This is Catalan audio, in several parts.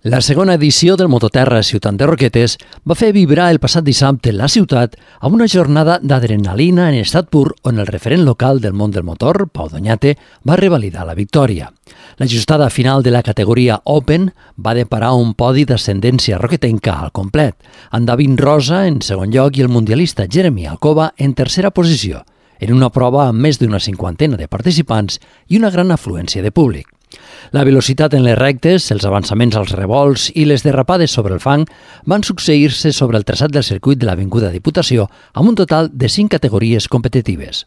La segona edició del Mototerra Ciutat de Roquetes va fer vibrar el passat dissabte la ciutat amb una jornada d'adrenalina en estat pur on el referent local del món del motor, Pau Doñate, va revalidar la victòria. L'ajustada final de la categoria Open va deparar un podi d'ascendència roquetenca al complet, amb David Rosa en segon lloc i el mundialista Jeremy Alcoba en tercera posició, en una prova amb més d'una cinquantena de participants i una gran afluència de públic. La velocitat en les rectes, els avançaments als revolts i les derrapades sobre el fang van succeir-se sobre el traçat del circuit de l'Avinguda Diputació amb un total de 5 categories competitives.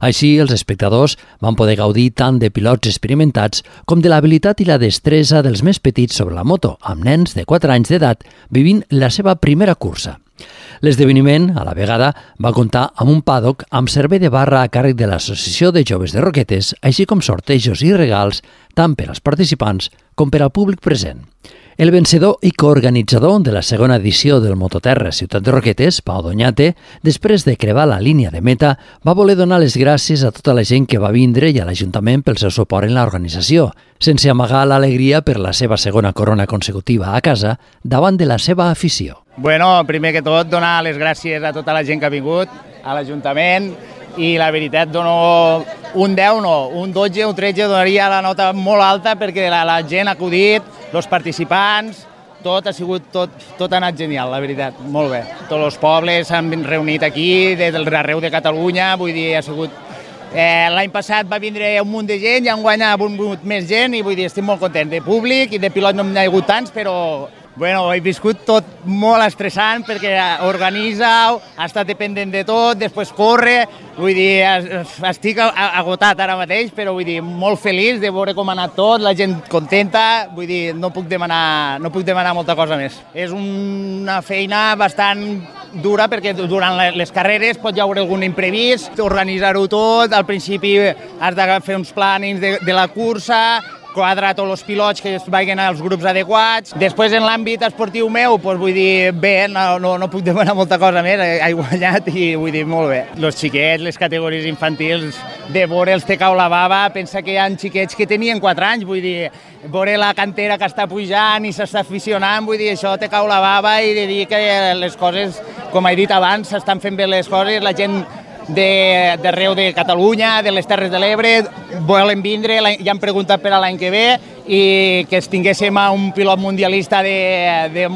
Així, els espectadors van poder gaudir tant de pilots experimentats com de l'habilitat i la destresa dels més petits sobre la moto, amb nens de 4 anys d'edat vivint la seva primera cursa. L'esdeveniment, a la vegada, va comptar amb un paddock amb servei de barra a càrrec de l'Associació de Joves de Roquetes, així com sortejos i regals tant per als participants com per al públic present. El vencedor i coorganitzador de la segona edició del Mototerra Ciutat de Roquetes, Pau Doñate, després de crevar la línia de meta, va voler donar les gràcies a tota la gent que va vindre i a l'Ajuntament pel seu suport en l'organització, sense amagar l'alegria per la seva segona corona consecutiva a casa davant de la seva afició. Bueno, primer que tot, donar les gràcies a tota la gent que ha vingut, a l'Ajuntament, i la veritat dono un 10, no, un 12, un 13, donaria la nota molt alta perquè la gent ha acudit, els participants, tot ha sigut, tot ha anat genial, la veritat, molt bé. Tots els pobles s'han reunit aquí, des d'arreu de Catalunya, vull dir, ha sigut... L'any passat va vindre un munt de gent i enguany ha vingut més gent i vull dir, estic molt content. De públic i de pilot no n'hi ha hagut tants, però bueno, he viscut tot molt estressant perquè organitza, ha estat dependent de tot, després corre, vull dir, estic agotat ara mateix, però vull dir, molt feliç de veure com ha anat tot, la gent contenta, vull dir, no puc demanar molta cosa més. És una feina bastant dura perquè durant les carreres pot hi haver algun imprevist, organitzar-ho tot, al principi has de fer uns plànings de la cursa, quadrar tots els pilots que es vagin als grups adequats. Després, en l'àmbit esportiu meu, doncs, vull dir, bé, no puc demanar molta cosa més, he guanyat i vull dir, molt bé. Els xiquets, les categories infantils, de veure'ls te cau la bava, pensa que hi ha xiquets que tenien 4 anys, vull dir, veure la cantera que està pujant i s'està aficionant, vull dir, això te cau la bava i de dir que les coses, com he dit abans, s'estan fent bé les coses, la gent d'arreu de Catalunya, de les Terres de l'Ebre, volen vindre, ja han preguntat per a l'any que ve i que tinguéssim un pilot mundialista de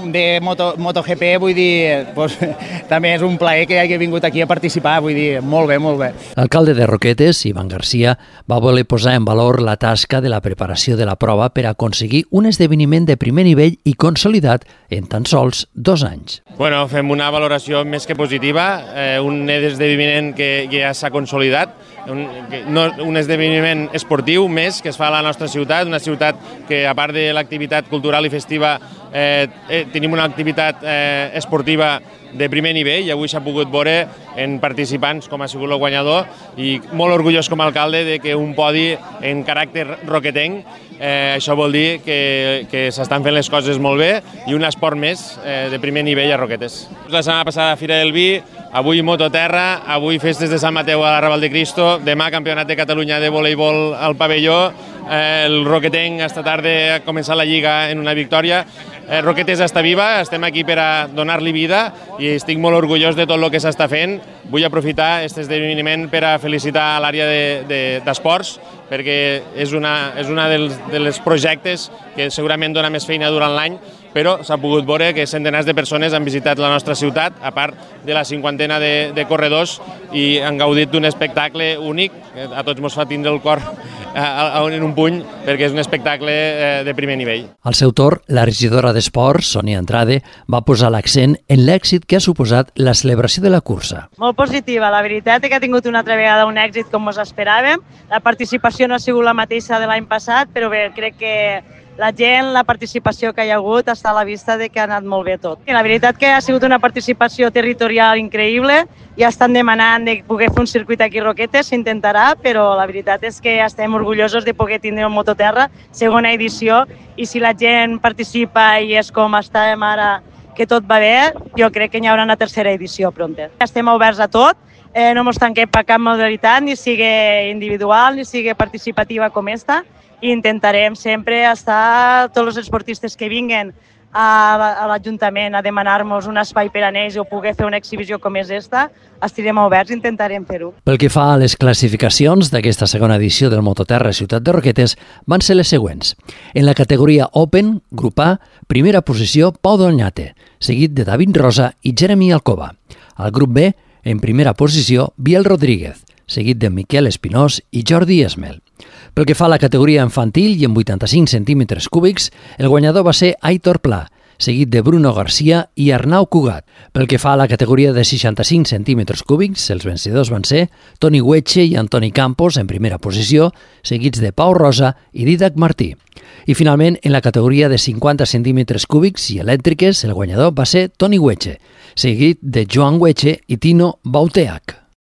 MotoGP, vull dir, doncs, també és un plaer que hagi vingut aquí a participar, vull dir, molt bé, molt bé. L'alcalde de Roquetes, Ivan Garcia, va voler posar en valor la tasca de la preparació de la prova per aconseguir un esdeveniment de primer nivell i consolidat en tan sols 2 anys. Bueno, fem una valoració més que positiva, un esdeveniment que ja s'ha consolidat, un esdeveniment esportiu més que es fa a la nostra ciutat, una ciutat que a part de l'activitat cultural i festiva tenim una activitat esportiva de primer nivell i avui s'ha pogut veure en participants com ha sigut el guanyador i molt orgullós com a alcalde de que un podi en caràcter roquetenc, això vol dir que s'estan fent les coses molt bé i un esport més de primer nivell a Roquetes. La setmana passada Fira del Vi, avui Mototerra, avui festes de Sant Mateu a la Raval de Cristo, demà Campionat de Catalunya de voleibol al pavelló, el roquetenc esta tarda ha començat la Lliga en una victòria. Roquetes està viva, estem aquí per a donar-li vida i estic molt orgullós de tot el que s'està fent. Vull aprofitar aquest esdeveniment per a felicitar l'àrea d'esports perquè és una dels projectes que segurament dona més feina durant l'any, però s'ha pogut veure que centenars de persones han visitat la nostra ciutat, a part de la cinquantena de corredors, i han gaudit d'un espectacle únic, que a tots ens fa tindre el cor en un puny, perquè és un espectacle de primer nivell. Al seu torn, la regidora d'Esports, Sònia Andrade, va posar l'accent en l'èxit que ha suposat la celebració de la cursa. Molt positiva, la veritat és que ha tingut una altra vegada un èxit com ens esperàvem. La participació no ha sigut la mateixa de l'any passat, però bé, crec que la gent, la participació que hi ha hagut està a la vista de que ha anat molt bé tot. I la veritat que ha sigut una participació territorial increïble, ja estan demanant de poder fer un circuit aquí a Roquetes, s'intentarà, però la veritat és que estem orgullosos de poder tindre un Mototerra, segona edició, i si la gent participa i és com estem ara, que tot va bé, jo crec que hi haurà una tercera edició pronta. Estem oberts a tot, no ens tanquem per cap modalitat, ni sigui individual, ni sigui participativa com esta, i intentarem sempre estar, tots els esportistes que vinguen a l'Ajuntament a demanar-nos un espai per a ells o poder fer una exhibició com és esta, estirem oberts i intentarem fer-ho. Pel que fa a les classificacions d'aquesta segona edició del Mototerra Ciutat de Roquetes van ser les següents. En la categoria Open, grup A, primera posició Pau Doñate, seguit de David Rosa i Jeremy Alcoba. Al grup B, en primera posició, Biel Rodríguez, seguit de Miquel Espinós i Jordi Esmel. Pel que fa a la categoria infantil i en 85 centímetres cúbics, el guanyador va ser Aitor Pla, seguit de Bruno Garcia i Arnau Cugat. Pel que fa a la categoria de 65 centímetres cúbics, els vencedors van ser Toni Hueche i Antoni Campos en primera posició, seguits de Pau Rosa i Didac Martí. I finalment, en la categoria de 50 centímetres cúbics i elèctriques, el guanyador va ser Toni Hueche, seguit de Joan Hueche i Tino Bauteach.